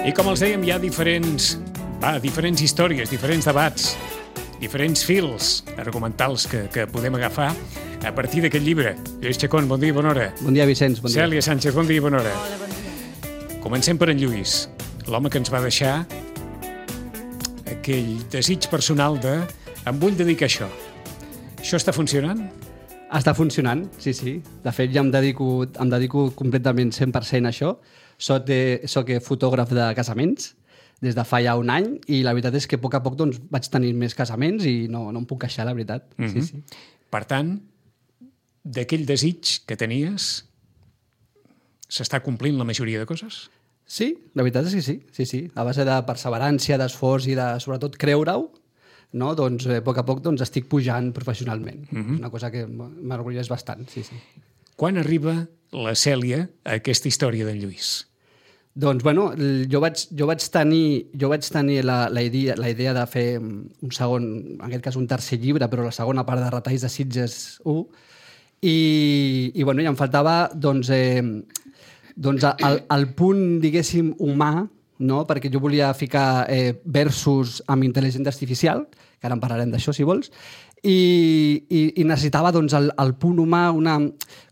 I com els dèiem, hi ha diferents històries, diferents debats, diferents fils argumentals que podem agafar a partir d'aquest llibre. Lluís Chacón, bon dia i bona hora. Bon dia, Vicenç, bon dia. Cèlia Sánchez, bon dia i bona hora. Hola, bon dia. Comencem per en Lluís, l'home que ens va deixar aquell desig personal de em vull dedicar a això. Això està funcionant? Està funcionant, sí. De fet, ja em dedico completament 100% a això. Soc fotògraf de casaments des de fa ja un any i la veritat és que a poc a poc doncs, vaig tenir més casaments i no em puc queixar, la veritat. Sí. Per tant, d'aquell desig que tenies, s'està complint la majoria de coses? Sí, la veritat és que sí. A base de perseverància, d'esforç i de, sobretot, creure-ho, no? Doncs a poc doncs, estic pujant professionalment. És una cosa que m'orgulleix bastant, sí. Quan arriba la Cèlia a aquesta història d'en Lluís? Doncs, bueno, jo vaig tenir la idea de fer un segon, en aquest cas un tercer llibre, però la segona part de Retalls de Sitges 1, i bueno, ja em faltava doncs el punt, diguéssim, humà, no? Perquè jo volia ficar versos amb intel·ligència artificial, que ara en parlarem d'això, si vols, i necessitava doncs, el punt humà,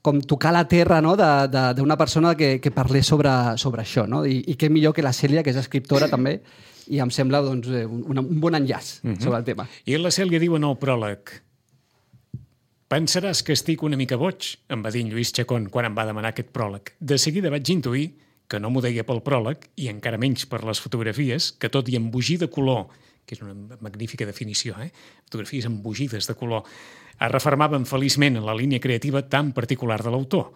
com tocar la terra, no? d'una persona que parlés sobre això. No? I què millor que la Cèlia, que és escriptora també, i em sembla doncs, un bon enllaç sobre el tema. I la Cèlia diu en el pròleg: pensaràs que estic una mica boig, em va dir en Lluís Chacón quan em va demanar aquest pròleg. De seguida vaig intuir que no m'ho deia pel pròleg, i encara menys per les fotografies, que tot i embogir de color, que és una magnífica definició, fotografies embogides de color, es refermaven feliçment en la línia creativa tan particular de l'autor.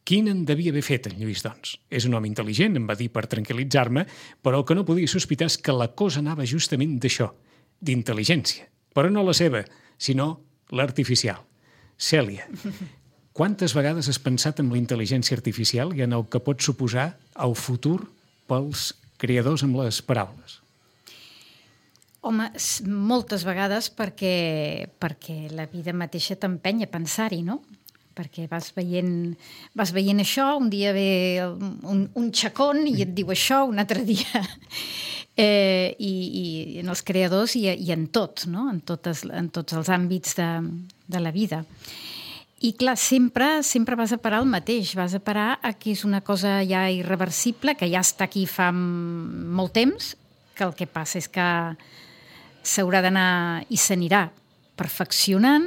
Quin en devia haver fet, en Lluís, doncs? És un home intel·ligent, em va dir per tranquil·litzar-me, però el que no podia sospitar és que la cosa anava justament d'això, d'intel·ligència. Però no la seva, sinó l'artificial. Cèlia, quantes vegades has pensat en la intel·ligència artificial i en el que pot suposar el futur pels creadors amb les paraules? Home, moltes vegades perquè la vida mateixa t'empeny a pensar-hi, no? Perquè vas veient això, un dia ve un Chacón i et diu això, un altre dia... I en els creadors i en tot, no? En tots els àmbits de la vida. I clar, sempre vas a parar al mateix, vas a parar a que és una cosa ja irreversible, que ja està aquí fa molt temps, que el que passa és que s'haurà d'anar i s'anirà perfeccionant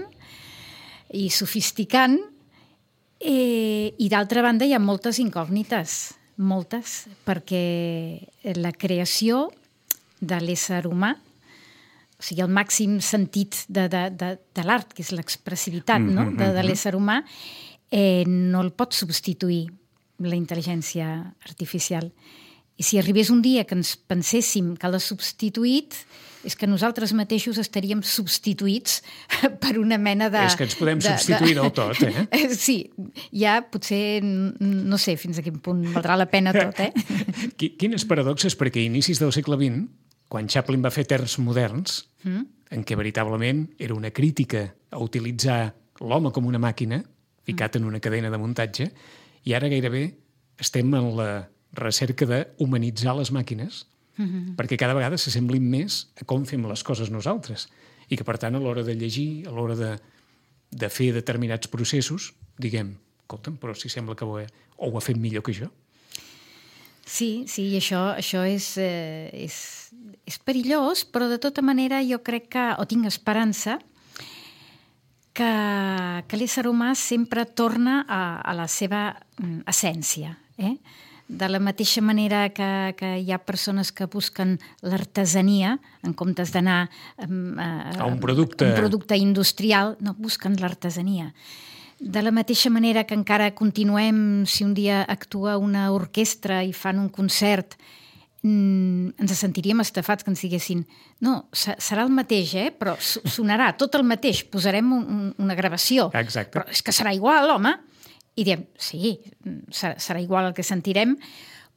i sofisticant, i d'altra banda hi ha moltes incògnites, moltes, perquè la creació de l'ésser humà, o sigui, el màxim sentit de l'art, que és l'expressivitat, no? de l'ésser humà, no el pot substituir la intel·ligència artificial. I si arribés un dia que ens penséssim que l'ha substituït, és que nosaltres mateixos estaríem substituïts per una mena de... És que ens podem substituir del tot, Sí, ja potser, no sé fins a quin punt valdrà la pena tot, Quines paradoxes, perquè a inicis del segle XX, quan Chaplin va fer Terns moderns, en què veritablement era una crítica a utilitzar l'home com una màquina, ficat en una cadena de muntatge, i ara gairebé estem en la recerca d'humanitzar les màquines, perquè cada vegada s'assemblin més a com fem les coses nosaltres, i que per tant a l'hora de llegir, a l'hora de fer determinats processos, diguem, escolta'm, però si sembla que ho ha fet millor que jo. Sí, i això és perillós, però de tota manera jo crec que, o tinc esperança, que l'ésser humà sempre torna a la seva essència, De la mateixa manera que hi ha persones que busquen l'artesania, en comptes d'anar a un producte industrial, no, busquen l'artesania. De la mateixa manera que encara continuem, si un dia actua una orquestra i fan un concert, ens sentiríem estafats que ens diguessin no, serà el mateix, però sonarà tot el mateix, posarem una gravació. Exacte. Però és que serà igual, home. I diem, sí, serà igual el que sentirem,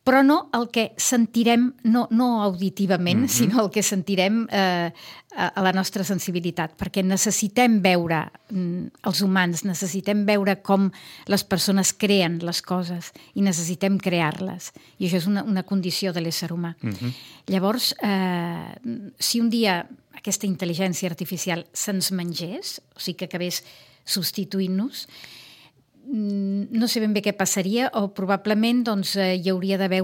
però no el que sentirem, no auditivament, sinó el que sentirem a la nostra sensibilitat, perquè necessitem veure els humans, necessitem veure com les persones creen les coses i necessitem crear-les. I això és una condició de l'ésser humà. Llavors, si un dia aquesta intel·ligència artificial se'ns mengés, o sigui que acabés substituint-nos, no sé ben bé què passaria, o probablement hi hauria d'haver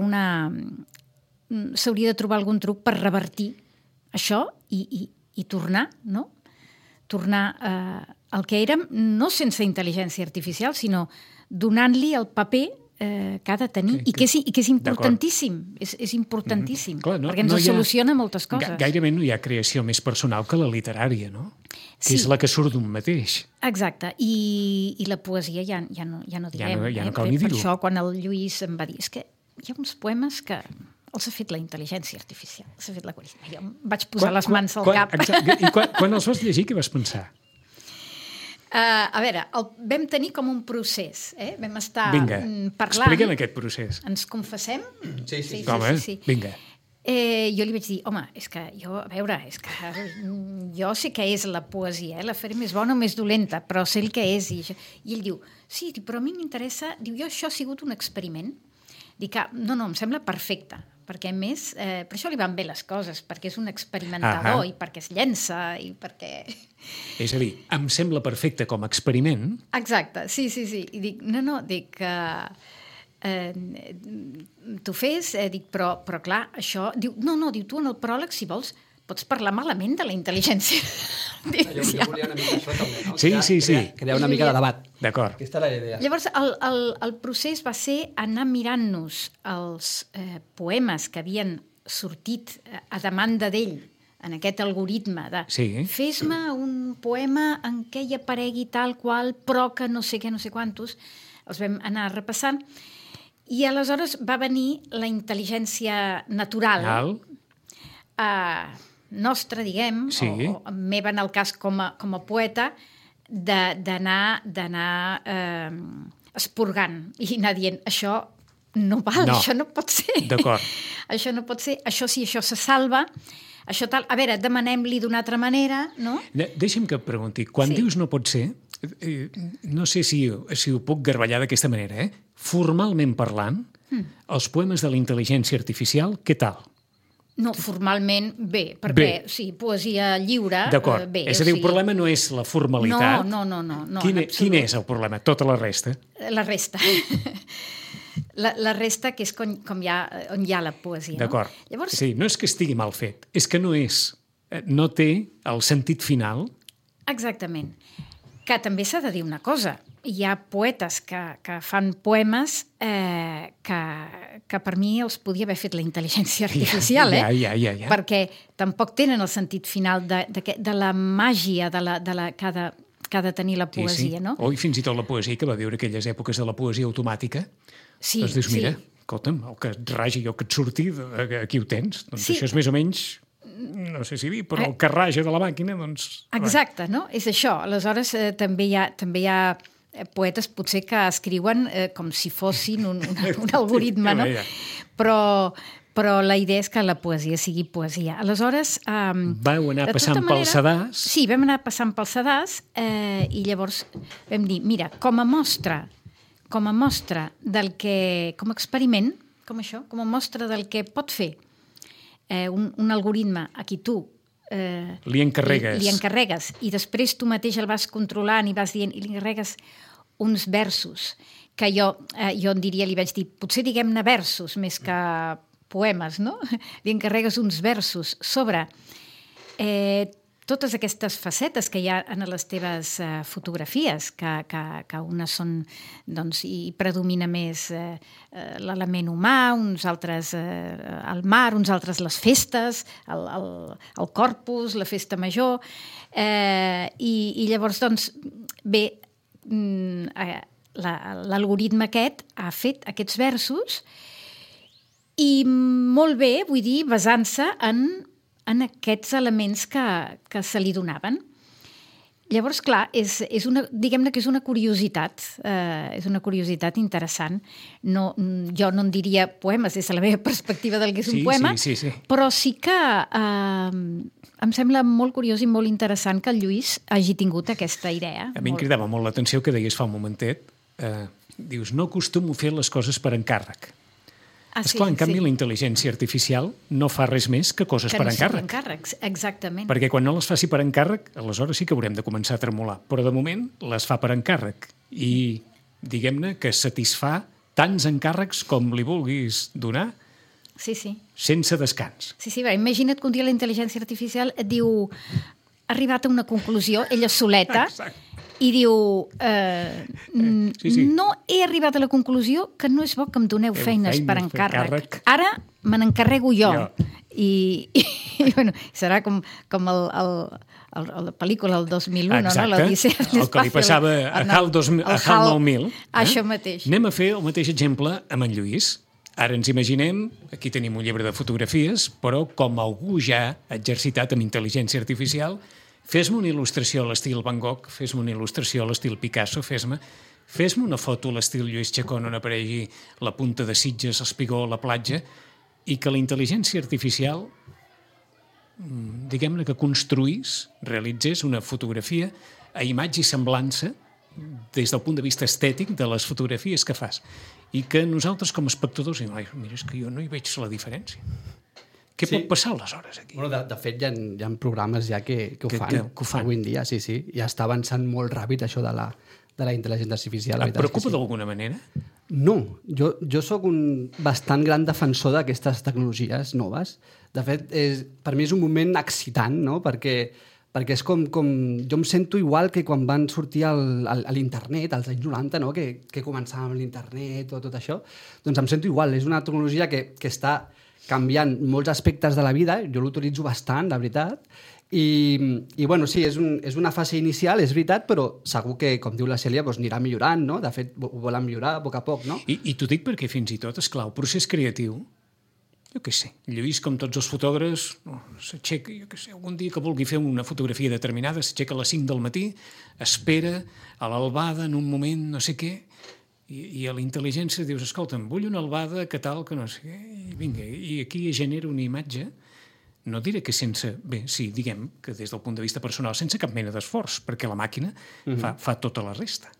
s'hauria de trobar algun truc per revertir això i tornar, no? Tornar al que érem, no sense intel·ligència artificial, sinó donant-li el paper que ha de tenir i que és importantíssim. És importantíssim, perquè ens soluciona moltes coses. Gairebé no hi ha creació més personal que la literària, no? Que és la que surt d'un mateix. Exacte, i la poesia ja no direm. Ja no cal ni dir-ho. Per això, quan el Lluís em va dir, és que hi ha uns poemes que els ha fet la intel·ligència artificial, els ha fet l'algoritme. Jo em vaig posar les mans al cap. I quan els vas llegir, què vas pensar? A veure, vam tenir com un procés, vam estar parlant... Explica'm aquest procés. Ens confessem? Sí. Vinga. Jo li vaig dir, home, és que jo, a veure, és que jo sé què és la poesia, la faré més bona o més dolenta, però sé el que és. I ell diu, sí, però a mi m'interessa... Diu, això ha sigut un experiment. Dic, no, em sembla perfecte, perquè a més, per això li van bé les coses, perquè és un experimentador i perquè es llença i perquè... És a dir, em sembla perfecte com a experiment. Exacte, sí. I dic, dic que t'ho fes, dic, però clar, això... Diu, diu, tu en el pròleg, si vols, pots parlar malament de la intel·ligència. Jo volia una mica això també, no? Sí. Crear una mica de debat. D'acord. Aquesta era la idea. Llavors, el procés va ser anar mirant-nos els poemes que havien sortit a demanda d'ell en aquest algoritme de fes-me un poema en què hi aparegui tal qual, però que no sé què, no sé quantos. Els vam anar repassant. I aleshores va venir la intel·ligència natural nostra, diguem, o meva en el cas com a poeta, d'anar esporgant i anar dient, això no val, això no pot ser. D'acord. Això no pot ser, això sí, això se salva, això tal... A veure, demanem-li d'una altra manera, no? Deixa'm que et pregunti, quan dius no pot ser, no sé si ho puc garballar d'aquesta manera, formalment parlant, els poemes de la intel·ligència artificial, què tal? No, formalment bé, perquè sí, poesia lliure, d'acord. Bé. És a dir, el problema no és la formalitat. No. Quin és el problema? Tota la resta? La resta. La resta, que és on hi ha la poesia. D'acord. No? Llavors... Sí, no és que estigui mal fet, és que no té el sentit final. Exactament. Que també s'ha de dir una cosa. Hi ha poetes que fan poemes que per mi els podia haver fet la intel·ligència artificial, Ja. Perquè tampoc tenen el sentit final de la màgia que ha de tenir la poesia, no? O fins i tot la poesia que va viure aquelles èpoques de la poesia automàtica. Doncs dius, mira, escolta'm, el que et ragi o que et surti, aquí ho tens. Doncs això és més o menys... no sé si dir, però el que raja de la màquina, doncs... Exacte, no? És això. Aleshores, també hi ha poetes potser que escriuen com si fossin un algoritme, no? Però la idea és que la poesia sigui poesia. Aleshores... Vau anar passant pel sedàs. Sí, vam anar passant pel sedàs i llavors vam dir, mira, com a mostra del que... com a experiment, com això, com a mostra del que pot fer un algoritme a qui tu li encarregues i després tu mateix el vas controlant i vas dient, i li encarregues uns versos que jo en diria, li vaig dir, potser diguem-ne versos més que poemes, no? Li encarregues uns versos sobre totes aquestes facetes que hi ha en les teves fotografies, que unes són, doncs, i predomina més l'element humà, uns altres el mar, uns altres les festes, el Corpus, la festa major, i llavors, doncs, bé, l'algoritme aquest ha fet aquests versos i molt bé, vull dir, basant-se en aquests elements que se li donaven. Llavors, clar, diguem-ne que és una curiositat interessant. Jo no en diria poemes des de la meva perspectiva del que és un poema, sí. però sí que em sembla molt curiós i molt interessant que el Lluís hagi tingut aquesta idea. A mi em cridava molt l'atenció que deies fa un momentet. Dius, no acostumo a fer les coses per encàrrec. Esclar, en canvi, la intel·ligència artificial no fa res més que coses per encàrrec. Que no encàrrecs, exactament. Perquè quan no les faci per encàrrec, aleshores sí que haurem de començar a tremolar. Però de moment les fa per encàrrec. I diguem-ne que satisfà tants encàrrecs com li vulguis donar sense descans. Sí, imagina't que un dia la intel·ligència artificial et diu ha arribat a una conclusió, ella soleta, i diu no he arribat a la conclusió que no és bo que em doneu feines per encàrrec. Ara me n'encarrego jo. I bueno, serà com la pel·lícula del 2001, exacte, no? L'Odissea el que li passava a HAL 9000. Això mateix. Anem a fer el mateix exemple amb en Lluís. Ara ens imaginem, aquí tenim un llibre de fotografies, però com algú ja ha exercitat amb intel·ligència artificial, fes-me una il·lustració a l'estil Van Gogh, fes-me una il·lustració a l'estil Picasso, fes-me una foto a l'estil Lluís Chacón on aparegui la punta de Sitges, l'espigó, la platja, i que la intel·ligència artificial, diguem-ne que construís, realitzés una fotografia a imatge i semblança des del punt de vista estètic de les fotografies que fas. I que nosaltres com a espectadors diem, mira, és que jo no hi veig la diferència. Què pot passar aleshores aquí? Bueno, de fet, hi ha programes ja que ho fan avui en dia, sí. Ja està avançant molt ràpid això de la intel·ligència artificial. Et preocupa d'alguna manera? No, jo sóc un bastant gran defensor d'aquestes tecnologies noves. De fet, per mi és un moment excitant, no? Perquè és com... Jo em sento igual que quan van sortir a l'internet, als anys 90, no? Que començàvem l'internet o tot això. Doncs em sento igual. És una tecnologia que està canviant molts aspectes de la vida. Jo l'utilitzo bastant, la veritat. I bueno, sí, és una fase inicial, és veritat, però segur que, com diu la Cèlia, doncs anirà millorant, no? De fet, ho volen millorar a poc a poc, no? I t'ho dic perquè fins i tot, esclar, el procés creatiu, jo què sé, Lluís, com tots els fotògrafs, s'aixeca, jo què sé, algun dia que vulgui fer una fotografia determinada, s'aixeca a les 5 del matí, espera a l'albada en un moment, no sé què, i a la intel·ligència dius, escolta'm, vull una albada, que tal, que no sé què, i vinga, i aquí genera una imatge, no diré que sense... Bé, sí, diguem que des del punt de vista personal, sense cap mena d'esforç, perquè la màquina fa tota la resta.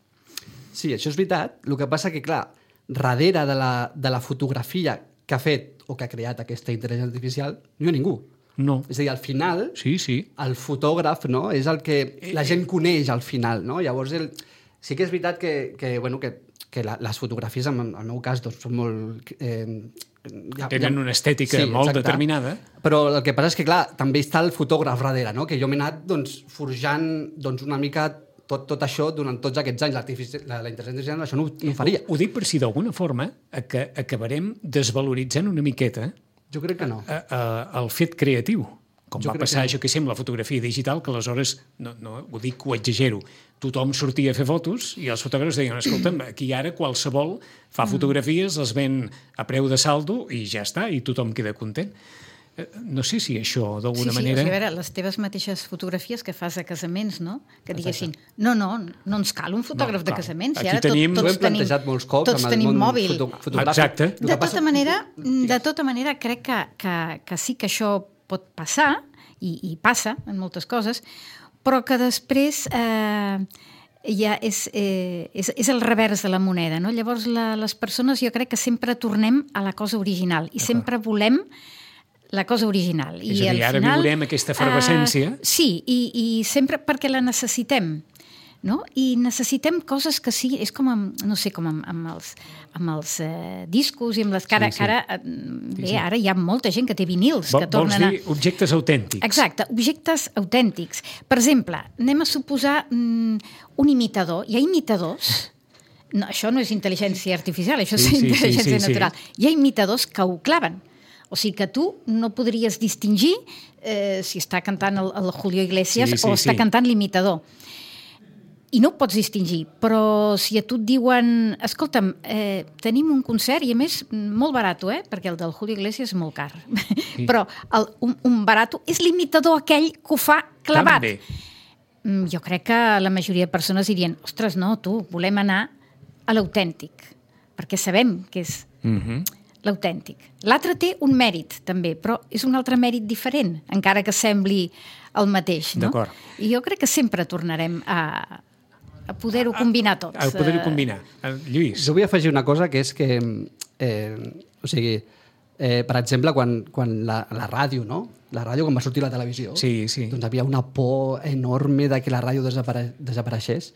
Sí, això és veritat. El que passa que, clar, darrere de la fotografia que ha fet o que ha creat aquesta intel·ligència artificial, no hi ha ningú. No. És a dir, al final, sí. el fotògraf, no?, és el que la gent coneix al final, no? Llavors, sí que és veritat que les fotografies, en el meu cas, doncs, són molt... Tenen una estètica molt determinada. Però el que passa és que, clar, també està el fotògraf darrere, no? Que jo m'he anat forjant una mica tot això durant tots aquests anys. La intel·ligència artificial això no ho faria. Ho dic per si d'alguna forma que acabarem desvaloritzant una miqueta jo crec que no. El fet creatiu. Com va passar, jo que sé, amb la fotografia digital, que aleshores, no ho dic, ho exagero, tothom sortia a fer fotos i els fotògrafs deien, escolta'm, aquí ara qualsevol fa fotografies, les ven a preu de saldo i ja està, i tothom queda content. No sé si això, d'alguna manera... Sí, a veure, les teves mateixes fotografies que fas a casaments, no? Que diguessin, no ens cal un fotògraf de casaments. Aquí tenim... Ho hem plantejat molts cops amb el món fotogràfic. Exacte. De tota manera, crec que sí que això pot passar, i passa en moltes coses, però que després ja és el revers de la moneda, no? Llavors, les persones jo crec que sempre tornem a la cosa original i sempre volem la cosa original. És a dir, ara viurem aquesta efervescència. Sí, i sempre perquè la necessitem, no? I necessitem coses que sí, és com amb els discos i amb les cara. Ara hi ha molta gent que té vinils que tornen a... Vols dir objectes autèntics. Exacte, objectes autèntics. Per exemple, anem a suposar un imitador. Hi ha imitadors... No, això no és intel·ligència artificial, això és intel·ligència natural. Hi ha imitadors que ho claven. O sigui que tu no podries distingir si està cantant el Julio Iglesias o està cantant l'imitador. I no ho pots distingir, però si a tu et diuen escolta'm, tenim un concert i a més molt barat, perquè el del Julio Iglesias és molt car, però un barat és l'imitador aquell que ho fa clavat. jo crec que la majoria de persones dirien ostres, no, volem anar a l'autèntic, perquè sabem que és l'autèntic. L'altre té un mèrit, també, però és un altre mèrit diferent, encara que sembli el mateix, no? D'acord. I jo crec que sempre tornarem a poder-ho combinar tot. A poder-ho combinar. Lluís. Jo vull afegir una cosa, que és que, per exemple, quan la ràdio, no? La ràdio, quan va sortir la televisió, Sí. doncs hi havia una por enorme de que la ràdio desapareixés,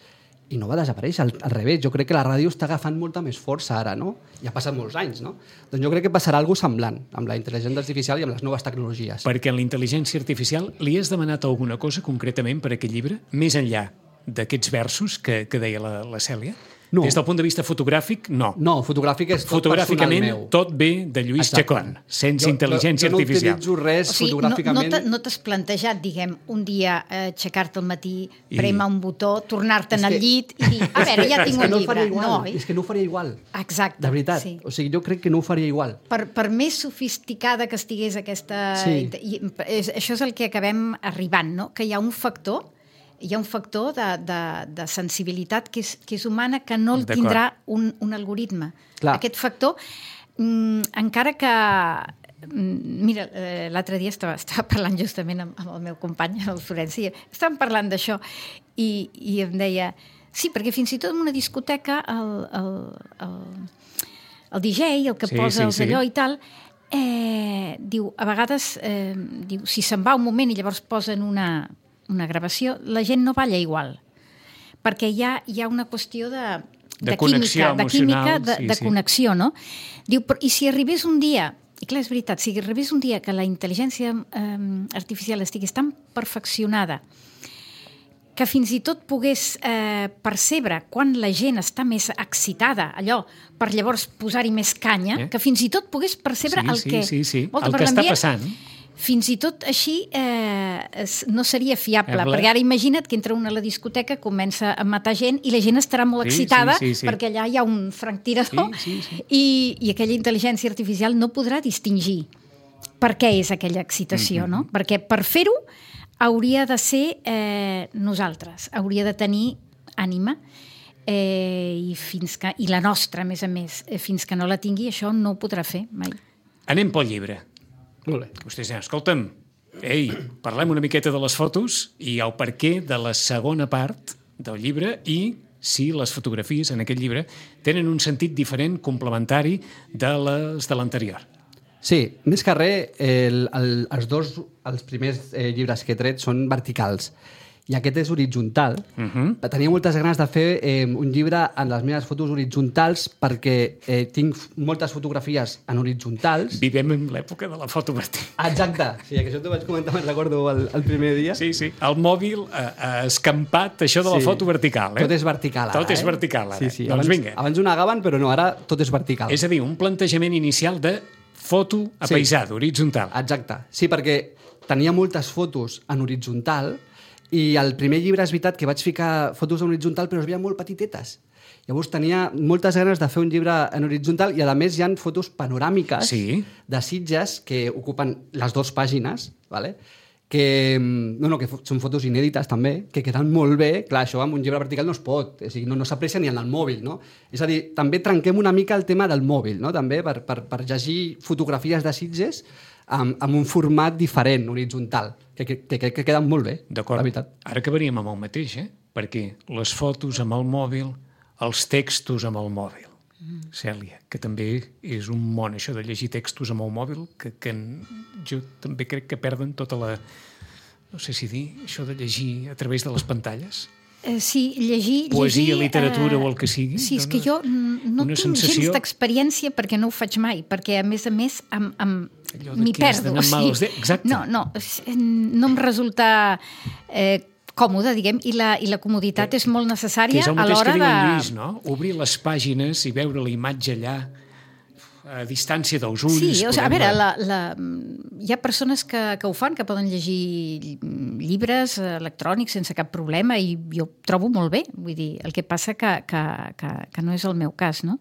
i no va desaparèixer, al revés. Jo crec que la ràdio està agafant molta més força ara, no? I ha passat molts anys, no? Doncs jo crec que passarà alguna cosa semblant amb la intel·ligència artificial i amb les noves tecnologies. Perquè en la intel·ligència artificial li has demanat alguna cosa concretament per aquest llibre, més enllà d'aquests versos que deia la Cèlia? No. Des del punt de vista fotogràfic, no. No, fotogràfic és tot personal Fotogràficament, meu. tot ve de Lluís Chacón, sense intel·ligència artificial. Jo no utilitzo res fotogràficament. No t'has plantejat, diguem, un dia aixecar-te al matí, prémer un botó, tornar-te'n al llit i dir, a veure, ja tinc un llibre. És que no ho faria igual. Exacte. De veritat. Sí. O sigui, jo crec que no ho faria igual. Per més sofisticada que estigués aquesta... Sí. Això és el que acabem arribant, no? Que hi ha un factor de sensibilitat que és humana, que no el tindrà un algoritme. Clar. Aquest factor, encara que... Mira, l'altre dia estava parlant justament amb el meu company, el Florenci, estàvem parlant d'això i em deia, sí, perquè fins i tot en una discoteca el DJ, el que posa els allò i tal, diu, a vegades, si se'n va un moment i llavors posen una gravació, la gent no balla igual, perquè hi ha una qüestió de connexió química, emocional, de connexió, no? Diu, i si arribés un dia, i clar, és veritat, si arribés un dia que la intel·ligència artificial estigués tan perfeccionada que fins i tot pogués percebre quan la gent està més excitada, allò, per llavors posar-hi més canya, que fins i tot pogués percebre el que... Sí, el que està passant. Fins i tot així no seria fiable, perquè ara imagina't que entra una a la discoteca, comença a matar gent i la gent estarà molt excitada perquè allà hi ha un franctirador i aquella intel·ligència artificial no podrà distingir per què és aquella excitació, no? Perquè per fer-ho hauria de ser nosaltres, hauria de tenir ànima i la nostra, a més, fins que no la tingui, això no ho podrà fer mai. Anem pel llibre. Molt bé. Vostès diuen, escolta'm, parlem una miqueta de les fotos i el perquè de la segona part del llibre i si les fotografies en aquest llibre tenen un sentit diferent, complementari de les de l'anterior. Sí, més que res, els primers llibres que he tret són verticals i aquest és horitzontal. Tenia moltes ganes de fer un llibre en les meves fotos horitzontals perquè tinc moltes fotografies en horitzontals. Vivem en l'època de la foto vertical. Exacte. Sí, que això t'ho vaig comentar, me'n recordo, el primer dia. Sí. El mòbil ha escampat això de la foto vertical. Tot és vertical, ara. Tot és vertical, ara. Sí. Doncs vinga. Abans ho negaven, però no, ara tot és vertical. És a dir, un plantejament inicial de foto apaisada, horitzontal. Exacte. Sí, perquè tenia moltes fotos en horitzontal i al primer llibre és veritat que vaig ficar fotos en horitzontal però es veien molt petitetes. Llavors tenia moltes ganes de fer un llibre en horitzontal i a més hi ha fotos panoràmiques de Sitges que ocupen les 2 pàgines, ¿vale? que són fotos inèdites també, que queden molt bé. Clar, això amb un llibre vertical no es pot, o sigui, no s'aprecia ni en el mòbil, no? És a dir, també trenquem una mica el tema del mòbil, no? També per llegir fotografies de Sitges amb un format diferent, horitzontal, que queden molt bé, la veritat. Ara acabaríem amb el mateix, perquè les fotos amb el mòbil, els textos amb el mòbil. Cèlia, que també és un món, això de llegir textos amb el mòbil, que jo també crec que perden tota la... No sé si dir, això de llegir a través de les pantalles. Sí, llegir... Poesia, literatura o el que sigui. Sí, és que jo no tinc gens d'experiència perquè no ho faig mai, perquè a més m'hi perdo. Exacte. No em resulta còmode, diguem, i la comoditat és molt necessària a l'hora de... Que és el mateix que diu en Lluís, no? Obrir les pàgines i veure la imatge allà a distància dels ulls. Sí, o sigui, a veure, hi ha persones que ho fan, que poden llegir llibres electrònics sense cap problema i jo ho trobo molt bé. Vull dir, el que passa que no és el meu cas, no?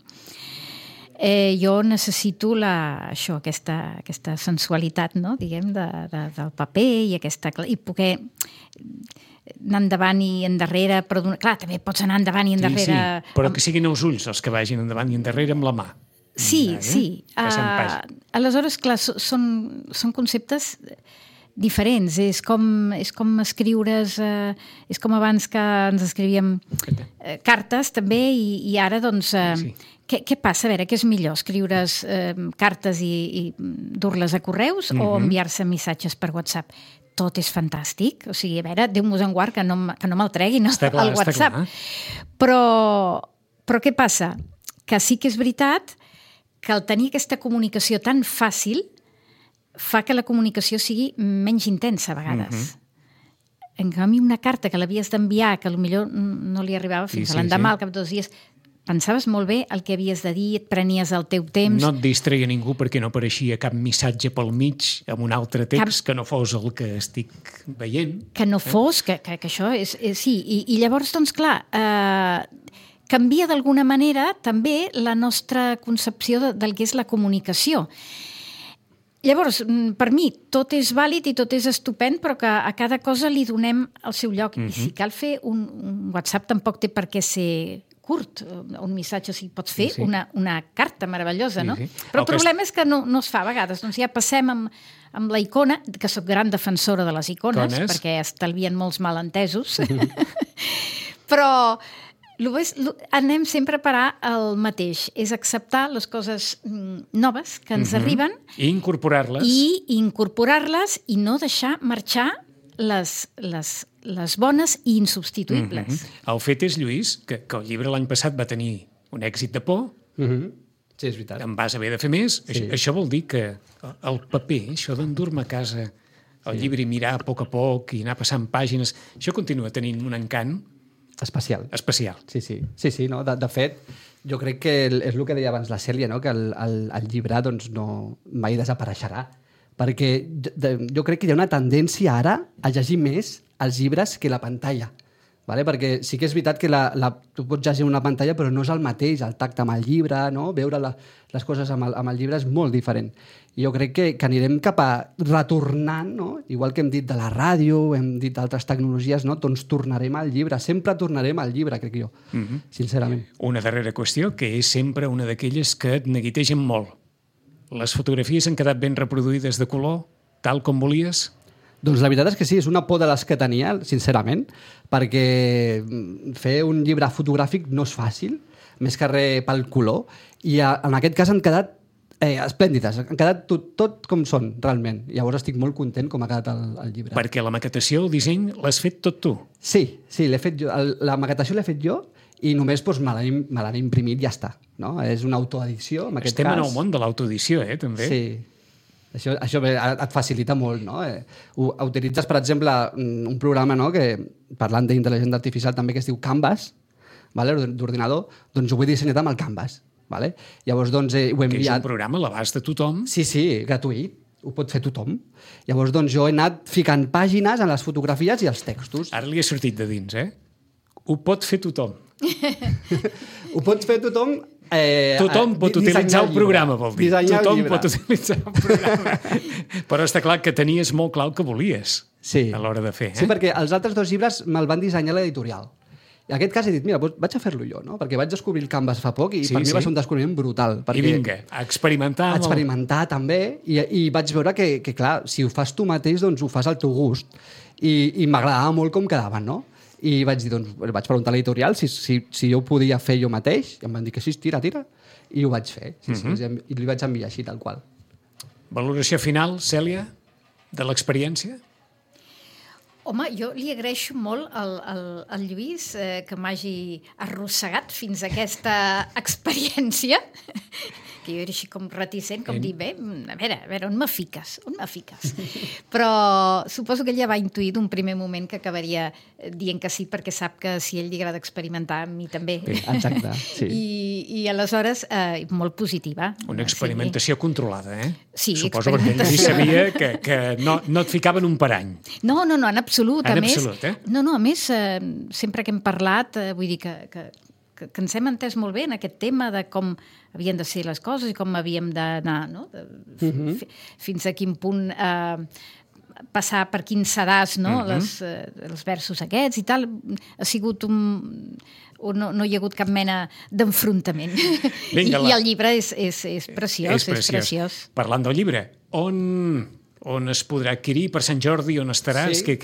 Jo necessito aquesta sensualitat, no? Diguem, del paper i poder anar endavant i endarrere, però clar, també pots anar endavant i endarrere... Sí, però que siguin els ulls els que vagin endavant i endarrere amb la mà. Sí. Aleshores, clar, són conceptes diferents. És com escriure's... és com abans que ens escrivíem cartes, també, i ara, doncs... Què passa? A veure, què és millor? Escriure's cartes i dur-les a correus o enviar-se missatges per WhatsApp? Tot és fantàstic. O sigui, a veure, Déu-nos en guard que no me'l treguin al WhatsApp. Però què passa? Que sí que és veritat que al tenir aquesta comunicació tan fàcil fa que la comunicació sigui menys intensa a vegades. En canvi, una carta que l'havies d'enviar, que potser no li arribava fins a l'endemà, al cap de 2 dies, pensaves molt bé el que havies de dir, et prenies el teu temps... No et distreia ningú perquè no apareixia cap missatge pel mig amb un altre text que no fos el que estic veient. Que no fos, que això és... Sí, i llavors, doncs, clar, canvia d'alguna manera també la nostra concepció del que és la comunicació. Llavors, per mi, tot és vàlid i tot és estupend, però que a cada cosa li donem el seu lloc. I si cal fer un WhatsApp, tampoc té per què ser curt, un missatge, si pots fer una carta meravellosa, no? Però el problema és que no es fa a vegades. Doncs ja passem amb la icona, que soc gran defensora de les icones, perquè estalvien molts malentesos, però anem sempre a parar el mateix. És acceptar les coses noves que ens arriben i incorporar-les. I incorporar-les i no deixar marxar les bones i insubstituïbles. El fet és, Lluís, que el llibre l'any passat va tenir un èxit de por. Sí, és veritat. En vas haver de fer més. Això vol dir que el paper, això d'endur-me a casa el llibre i mirar a poc i anar passant pàgines, això continua tenint un encant especial. Sí, no? De fet, jo crec que és el que deia abans la Cèlia, no? Que el llibre doncs, mai desapareixerà. Perquè jo crec que hi ha una tendència ara a llegir més els llibres que la pantalla. Vale? Perquè sí que és veritat que tu pots llegir una pantalla, però no és el mateix, el tacte amb el llibre, no? Veure les coses amb el llibre és molt diferent. I jo crec que anirem cap a retornant, no? Igual que hem dit de la ràdio, hem dit d'altres tecnologies, no? Doncs tornarem al llibre, sempre tornarem al llibre, crec jo, sincerament. Una darrera qüestió, que és sempre una d'aquelles que et neguitegen molt. Les fotografies han quedat ben reproduïdes de color, tal com volies? Doncs la veritat és que sí, és una por de les que tenia, sincerament, perquè fer un llibre fotogràfic no és fàcil, més que res pel color, i en aquest cas han quedat esplèndides, han quedat tot com són, realment. Llavors estic molt content com ha quedat el llibre. Perquè la maquetació, el disseny, l'has fet tot tu? Sí, l'he fet jo. La maquetació l'he fet jo, i només me l'han imprimit i ja està. No? És una autoedició, en aquest cas. Estem en el món de l'autoedició, també. Sí. Això et facilita molt, no? Utilitzes, per exemple, un programa, no? Que, parlant d'intel·ligència artificial també, que es diu Canvas, vale? D'ordinador, doncs ho he dissenyat amb el Canvas. Vale? Llavors, doncs, ho he enviat... Que és un programa a l'abast de tothom? Sí, gratuït. Ho pot fer tothom. Llavors, doncs, jo he anat ficant pàgines en les fotografies i els textos. Ara li he sortit de dins, Ho pot fer tothom. Ho pot fer tothom... Tothom pot utilitzar el programa, vol dir. Tothom pot utilitzar el programa. Però està clar que tenies molt clar el que volies a l'hora de fer. Sí, perquè els altres 2 llibres me'l van dissenyar l'editorial. I en aquest cas he dit, mira, vaig a fer-lo jo, no? Perquè vaig descobrir el Canvas fa poc i per mi va ser un descobriment brutal. I vinga, a experimentar. A experimentar també, i vaig veure que, clar, si ho fas tu mateix, doncs ho fas al teu gust. I m'agradava molt com quedaven, no? I vaig dir, doncs, vaig preguntar a l'editorial si jo ho podia fer jo mateix, i em van dir que sí, tira, i ho vaig fer. I li vaig enviar així, tal qual. Valoració final, Cèlia, de l'experiència? Home, jo li agraeixo molt al Lluís que m'hagi arrossegat fins a aquesta experiència, que jo era així com reticent, com dir, bé, a veure, on me fiques? Però suposo que ell ja va intuir d'un primer moment que acabaria dient que sí, perquè sap que si a ell li agrada experimentar, a mi també. Exacte, sí. I aleshores, molt positiva. Una experimentació controlada, Sí, suposo perquè ell sabia que no et ficaven un parany. No, en absolut. En absolut, No, a més, sempre que hem parlat, vull dir que ens hem entès molt bé en aquest tema de com havien de ser les coses i com havíem d'anar, no? Fins a quin punt passar per quins sedàs, no? Els versos aquests i tal. Ha sigut no hi ha hagut cap mena d'enfrontament. I el llibre és preciós, és preciós. Parlant del llibre, on es podrà adquirir per Sant Jordi, on estaràs, què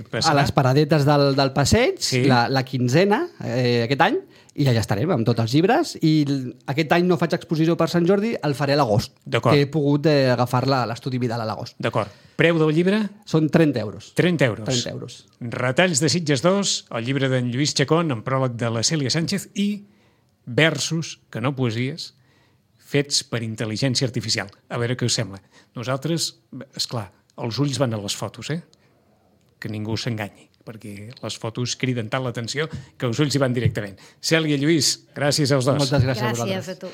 passarà? A les paradetes del passeig, la quinzena aquest any, i allà estarem amb tots els llibres, i aquest any no faig exposició per Sant Jordi, el faré a l'agost, que he pogut agafar-la a l'Estudi Vidal a l'agost. D'acord. Preu del llibre? Són 30 euros. 30 euros. 30 euros. Retalls de Sitges 2, el llibre d'en Lluís Chacón, amb pròleg de la Cèlia Sánchez, i versos, que no poesies, fets per intel·ligència artificial. A veure què us sembla. Nosaltres, esclar, els ulls van a les fotos, que ningú s'enganyi, perquè les fotos criden tant l'atenció que els ulls hi van directament. Cèlia, Lluís, gràcies als dos. Moltes gràcies a vosaltres. Gràcies a tu.